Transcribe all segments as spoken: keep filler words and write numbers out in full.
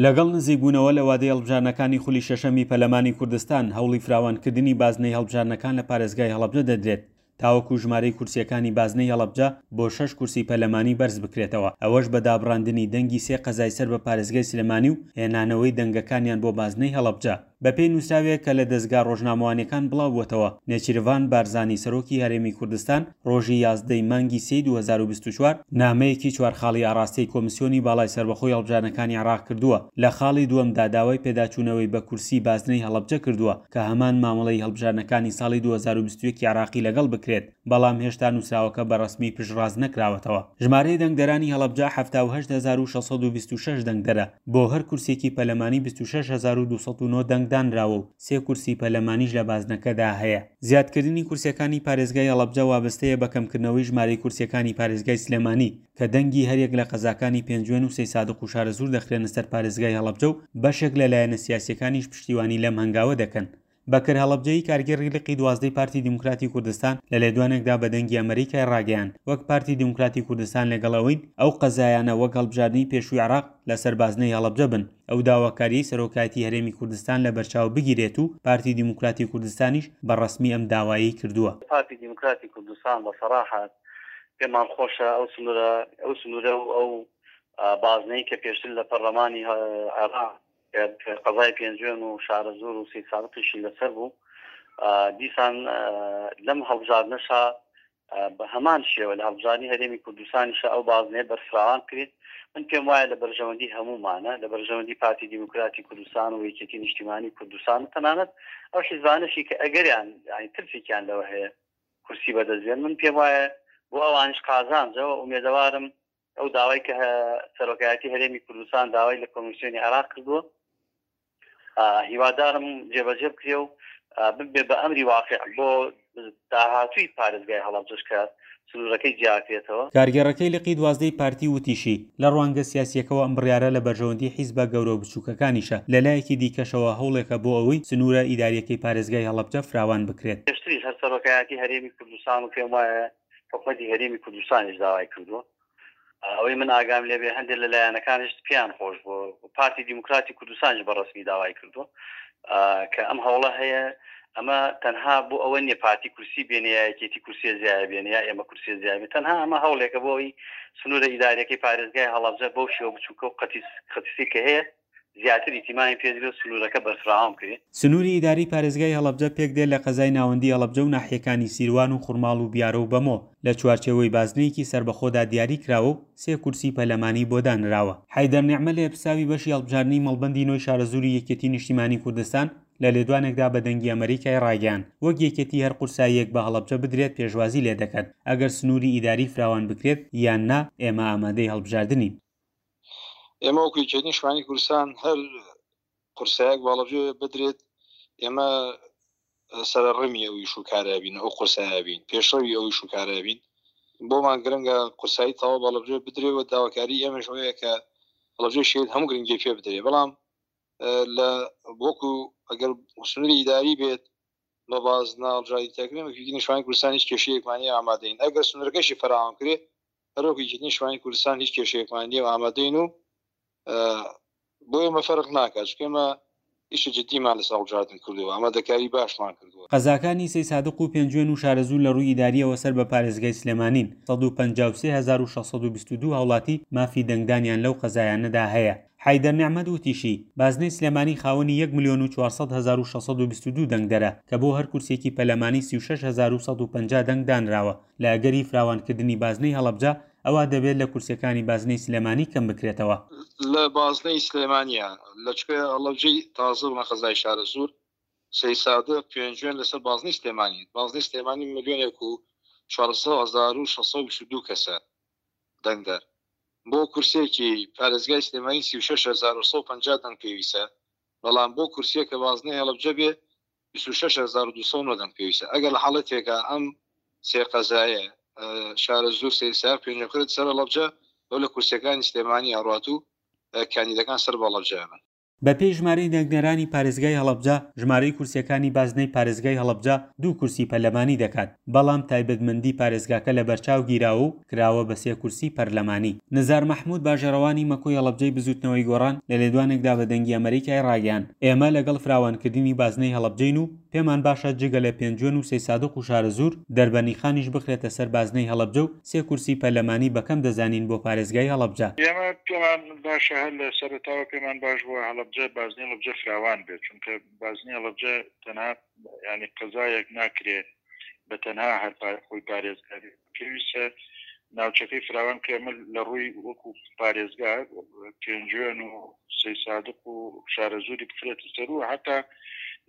لەگەڵ نزیکبوونەوە لە وادەی هەڵبژاردنەکانی خولی شەشەمی پەرلەمانی کوردستان، هەوڵی فراوانکردنی بازنەی هەڵبژاردنەکان لە پارێزگای هەڵەبجە دەدرێت تاوەکو ژمارەی کورسییەکانی بازنەی هەڵەبجە بۆ شەش کورسی پەرلەمانی بەرز بکرێتەوە، ئەوەش بە دابڕاندنی دەنگی سێ قەزای سەر بە پارێزگای سلێمانی و هێنانەوەی دەنگەکانیان بۆ بازنەی هەڵەبجە. بەپێی نووسراوێک کە لە دەزگا ڕۆژنامەوانیەکان بڵاوبووەتەوە، نێچیرڤان بارزانی سەرۆکی هەرێمی کوردستان ڕۆژی یازدە ی مانگی سێی دوو هەزار و بیست و چوار، نامەیەکی چوار خاڵی ئاڕاستەی کۆمیسیۆنی باڵای سەربەخۆی هەڵبژاردنەکانی عێراق کردووە، لە خاڵی دووەمدا داوای پێداچوونەوەی بە کورسی بازنەی هەڵەبجە کردووە کە هەمان مامەڵەی هەڵبژاردنەکانی ساڵی دوو هەزار و بیست و یەک ی عێراقی لەگەڵ بکرێت، بەڵام هێشتا نووسراوەکە بە ڕەسمی پشتڕاست نەکراوەتەوە. ژمارەی دەنگدەرانی هەڵەبجە حەفتا و هەشت هەزار و شەش سەد و بیست و شەش دەنگدەرە، بۆ هەر کورسییەکی پەرلەمانی بیست و شەش هەزار و دوو سەد و نۆ دەنگ دانراوە و سێ کورسی پەرلەمانیش لە بازنەکەدا هەیە. زیادکردنی کورسییەکانی پارێزگای هەڵەبجە وابەستەیە بە کەمکردنەوەی ژمارەی کورسییەکانی پارێزگای سلێمانی کە دەنگی هەریەک لە قەزاکانی پێنجوێن و سەیسادق و شارەزوور دەخرێنە سەر پارێزگای هەڵەبجە و بەشێک لە لایەنە سیاسییەکانیش پشتیوانی لەم هەنگاوە دەکەن. بەکر هەڵەبجەیی کارگێڕی لقی دوازدەی پارتی دیموکراتی کوردستان لە لێدوانێکدا بە دەنگی ئەمەریکای ڕاگەیاند، وەک پارتی دیموکراتی کوردستان لەگەڵ ئەوەین ئەو قەزایانە وەک هەڵبژاردنی پێشووی عێراق لەسەر بازنەی هەڵەبجە بن، ئەو داواکاریەی سەرۆکایەتی هەرێمی کوردستان لەبەرچاو بگیرێت و پارتی دیموکراتی کوردستانیش بە ڕەسمی ئەم داوایەی کردووە. پارتی دیموکراتی کوردستان بە سەراحەت پێمان خۆشە ئەو سنوورە ئەو سنوورە و ئەو بازنەی کە پێشتر لە پەرلەمانی عێراق قەزای پێنجوێن و شارەزوور و سەیدسادقیشی لەسەر بوو، دیسان لەم هەڵبژاردنەشا بە هەمان شێوە لە هەڵبژاردنی هەرێمی کوردستانیشە ئەو بازنەیە بەرفراوان کرێت. من پێم وایە لە بەرژەوەندی هەموومانە، لە بەرژەوەندی پارتی دیموکراتی کوردستان و یەکێتی نیشتیمانی کوردستان و تەنانەت ئەو حیزبانەشی کە ئەگەریان یعنی ترسێکیان لەوە هەیە کورسی بەدەست بێن، من پێم وایە بۆ ئەوانیش قازانجەوە. ئومێدەوارم ئەو داوای کە سەرۆکایەتی هەرێمی کوردستان داوای لە کۆمیسیۆنی عێراق کردووە هیوادارم جێبەجێ بکرێ و ببێ بە ئەمری واقع بۆ داهاتووی پارێزگای هەڵەبجەش کە سنوورەکەی جیاکرێتەوە. کارگێڕەکەی لقی دوازدەی پارتی وتیشی، لە ڕوانگە سیاسییەکەوە ئەم بڕیارە لە بەرژەوەندی حیزبە گەورە و بچووکەکانیشە، لەلایەکی دیکەشەوە هەوڵێکە بۆ ئەوەی سنوورە ئیدارییەکەی پارێزگای هەڵەبجە فراوان بکرێت. پێشتریش هەر سەرۆکایەتی هەرێمی کوردستان و پێم وایە حکومەتی هەرێمی کوردستانیش داوای کردووە، ئەوەی من ئاگام لێبێ هەندێک لە لایەنەکانیش پێیان خۆش بووە، پارتی دیموکراتی کوردستانیش بە ڕەسمی داوای کردووە کە ئەم هەوڵە هەیە. ئەمە تەنها بۆ ئەوە نییە پارتی کورسی بێنێ یا یەکێتی کورسیە زیایە بێنێ یا ئێمە کورسیە زیایە بێنێ، تەنها ئەمە هەوڵێکە بۆ ئەوەی سنوورە ئیداریەکەی پارێزگای هەڵەبجە بەو شێوە بچووکە و قەتیسی کە هەیە زیاتر ئیتیمامی پێدرێت و سنوورەکە بەرفراوان بکرێت. سنووری ئیداری پارێزگای هەڵەبجە پێکدێت لە قەزای ناوەندی هەڵەبجە و ناحیەکانی سیروان و خورماڵ و بیارە و بەمۆ لە چوارچێوەی بازنەیەکی سەربەخۆدا دیاری کراوە و سێ کورسی پەرلەمانی بۆ دانراوە. حەیدەر نعمە لێپرسراوی بەشی هەڵبژاردنی مەڵبەندی نۆی شارەزووری یەکێتی نیشتیمانی کوردستان لە لێدوانێکدا بە دەنگی ئەمەریکای ڕاگەیاند، وەک یەکێتی هەر قورساییەک بە هەڵەبجە بدرێت پێشوازی لێ دەکەن، ئەگەر سنووری ئیداری فراوان بکرێت یان نا ئێمە ئامادەی هەڵبژاردنین. ئێمە وەکو یەکێتی نیشتمانی کوردستان هەر قورسایەک بە هەڵەبجە بدرێت ئێمە سەرڕمی ئەو ئیش و کارە بین، ئەو قورسایە بین، پێشڕەوی ئەو ئیش و کارە بین. بۆمان گرنگە قورسایی تەواو بە هەڵەبجە بدرێت و داواکاری ئێمەش ئەوەیە کە هەڵەبجەی شەهید هەموو گرنگی پێ بدرێت، بەڵام لە وەکو ئەگەر سنووری ئیداری بێت بە بازنە هەڵبژاردنی تاکرێن، وەکو یەکێتی نیشتمانی کوردستان هیچ کێشەیەکمان نییە، ئامادەین. ئەگەر سنوورەکەشی فراوان کرێت هەر وەکو یەکێتی نیشتمانی کوردستان هیچ کێشەیەکمان نییە و ئامادەین و بۆ ئێمە فەرق ناکات، چونکە ئێمە ئیشی جدیمان لەسەر هەڵبژاردن کردووە، ئامادەکاری باشمان کردووە. قەزاکانی سەیسادق و پێنجوێن و شارەزوور لە ڕووی ئیدارییەوە سەر بە پارێزگای سلێمانین، سەد و پەنجا و سێ هەزار و شەش سەد و بیست و دوو هاوڵاتی مافی دەنگدانیان لەو قەزایانەدا هەیە. حەیدەر نعمەت وتیشی، بازنەی سلێمانی خاوەنی یەک ملیۆن و چوار سەد هەزار و شەش سەد و بیست و دوو دەنگدەرە کە بۆ هەر کورسیەکی پەرلەمانی سی و شەش هەزار و سەد و پەنجا دەنگ دانراوە. لە ئەگەری فراوانکردنی بازنەی هەڵەبجە ئەوا دەبێت لە کورسیەکانی بازنەی سلێمانی کەم بکرێتەوە. لە بازنەی سلێمانیە لە چکە هەڵەبجەی تازە بڵێن قەزای شارەزوور، سەیسادق، پێنجوێن لەسەر بازنەی سلێمانی. بازنەی سلێمانی ملیۆنێک و چوارسەد هەزار و شەش سەد و بیست و دوو کەسە دەنگدەر. بۆ کورسیەکی پارێزگای سلێمانی سی و شەش هەزار و سەد و پەنجا دەنگ پێویستە، بەڵام بۆ کورسیەکە بازنەی هەڵەبجە بێ بیست و شەش هەزار و دوو سەد و نۆ دەنگ پێویستە. ئەگەر لە حاڵەتێکە ئەم سێ قەزایە شارەزوور، سەیسادق، پێنجوێن کرد سەر هەڵەبجە، ئەو لە کورسیەکانی سلێمانی ئەڕات و کاندیدەکان سەر بە هەڵەبجە بن. بەپێی ژمارەی دەنگدەرانی پارێزگای هەڵەبجە، ژمارەی کورسییەکانی بازنەی پارێزگای هەڵەبجە دوو کورسی پەرلەمانی دەکات، بەڵام تایبەتمەندی پارێزگاکە لەبەرچاو گیراوە و کراوە بە سێ کورسی پەرلەمانی. نزار مەحمود باژێڕەوانی مەکۆی هەڵەبجەی بزوتنەوەی گۆڕان لە لێدوانێکدا بە دەنگی ئەمەریکای ڕاگەیاند، ئێمە لەگەڵ فراوانکردنی بازنەی هەڵەبجەین و پێمان باشە جگە لە پێنجوێن و سەیسادق و شارەزوور، دەربەنیخانیش بخرێتە سەر بازنەی هەڵەبجە و سێ کورسی پەرلەمانی بەکەم دەزانین بۆ پارێزگای هەڵەبجە. ئێمە پێمان باشە هەر لە سەرەتاوە پێمان باش بووە هەڵەبجە بازنەی هەڵەبجە فراوان بێت، چونکە بازنەی هەڵەبجە تەنها یانی قەزایەک ناکرێ بە تەنها هەر خۆی پارێزگا بێت، پێویستە ناوچەکەی فراوان بکرێ. ئەمە لە ڕووی وەکو پارێزگا پێنجوێن و سەیسادق و شارەزووری بخرێتە سەر و حتا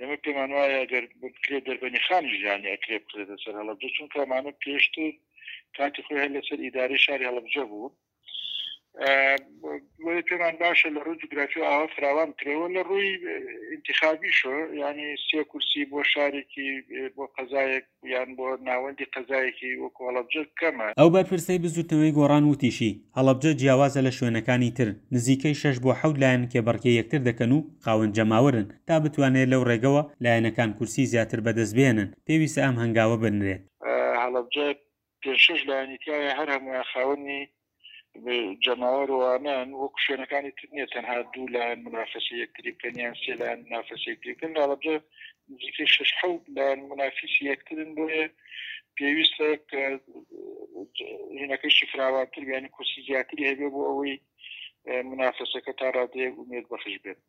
ئێمە پێمان وایە ئەگەر بکرێت دەربەنی خانیش یانی ئەکرێ بخرێتە سەر هەڵەبجە، چونکە ئەمانە پێشتر کاتی خۆی هەر لەسەر ئیدارەی شاری هەڵەبجە بوون. بۆیە پێمان باشە لە ڕووی جوگرافی و ئاوا فراوان بکرێەوە. لە ڕووی ئینتخابیشەوە یانی سێ کورسی بۆ شارێکی بۆ قەزایەک یان بۆ ناوەندی قەزایەکی وەکو هەڵەبجە کەمە. ئەو بەرپرسەی بزوتنەوەی گۆڕان وتیشی، هەڵەبجە جیاوازە لە شوێنەکانی تر، نزیکەی شەش بۆ حەوت لایەن کێبڕکێی یەکتر دەکەن و خاوەن جەماوەرن، تا بتوانرێت لەو ڕێگەوە لایەنەکان کورسی زیاتر بەدەستبهێنن، پێویستە ئەم هەنگاوە بنرێت. هەڵەبجە پێنج شەش لایەنی تیایە، هەر هەموویان خاوەنی جەماوەر و ئەمان وەکو شوێنەکانی تر نییە تەنها دوو لایەن منافەسەی یەکتری بکەن یان سێ لایەن منافەسەی یەکتری بکەن. لە هەڵەبجە نزیکەی شەش حەوت لایەن منافیسی یەکترن، بۆیە پێویستە کە هینەکەیشی فراوانتر بێ، یانی کورسی زیاتری هەبێ بۆ ئەوەی منافەسەکە تا ڕادەیەک ئومێد بەخش بێت.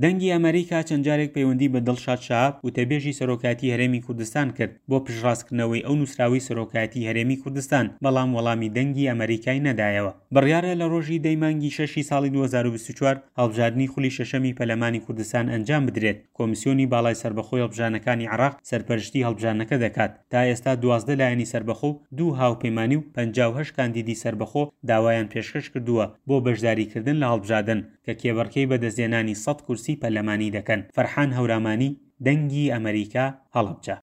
دەنگی ئەمەریکا چەند جارێک پەیوەندی بە دڵشاد شەهاب وتەبێژی سەرۆکایەتی هەرێمی کوردستان کرد بۆ پشتڕاستکردنەوەی ئەو نووسراوەی سەرۆکایەتی هەرێمی کوردستان، بەڵام وەڵامی دەنگی ئەمەریکای نەدایەوە. بڕیارە لە ڕۆژی دەی مانگی شەشی ساڵی دوو هەزار و بیست و چوار هەڵبژاردنی خولی شەشەمی پەرلەمانی کوردستان ئەنجام بدرێت، کۆمیسیۆنی باڵای سەربەخۆی هەڵبژاردنەکانی عێراق سەرپەرشتی هەڵبژاردنەکە دەکات. تا ئێستا دوازدە لایەنی سەربەخۆ و دوو هاوپەیمانی و پەنجا و هەشت کاندیدی سەربەخۆ داوایان پێشکەش کردووە بۆ بەشداریکردن لە هەڵبژاردن کە کێبڕکێی بەدەستهێنانی سەد کورسی پەرلەمانی دەکەن. فەرحان هەورامانی، دەنگی ئەمەریکا، هەڵەبجە.